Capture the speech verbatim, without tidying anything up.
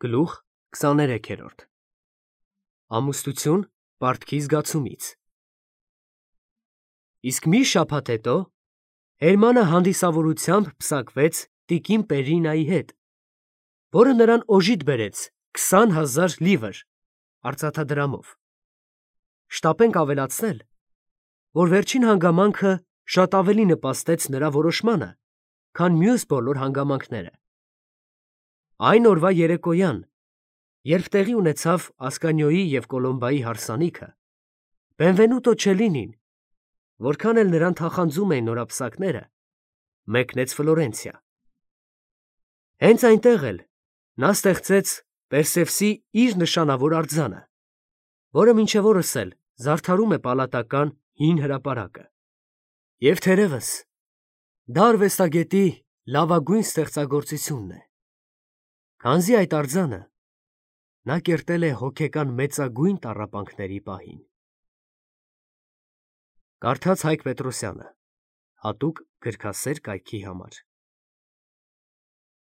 Գլուխ քսաներեքերորդ Ամուսնություն պարտքի զգացումից Իսկ մի շաբաթ հետո Հերմանը հանդիսավորությամբ պսակվեց տիկին Պերինայի հետ, որը նրան օժիտ բերեց քսան հազար լիվր արծաթադրամով. շտապենք ավելացնել, որ վերջին հանգամանքը շատ ավելի նպաստեց նրա որոշմանը, քան մյուս բոլոր հանգամանքները։ Այն օրվա երեկոյան, երբ տեղի ունեցավ Ասկանիոյի և Կոլոմբայի հարսանիքը, Բենվենուտո Չելլինին, որքան էլ նրան թախանձում էին նորապսակները, մեկնեց Ֆլորենցիա։ Հենց այնտեղ էլ նա ստեղծեց Պերսևսի իր նշանավոր արձանը, որը մինչև օրս էլ զարդարում է պալատական հին հրապարակը։ Եվ թերևս, դա արվեստագետի լավագույն ստեղծագործությունն է, քանզի այդ արձանը նա կերտել է հոգեկան մեծագույն տառապանքների պահին։ Կարդաց Հայկ Պետրոսյանը, հատուկ գրքասեր կայքի համար։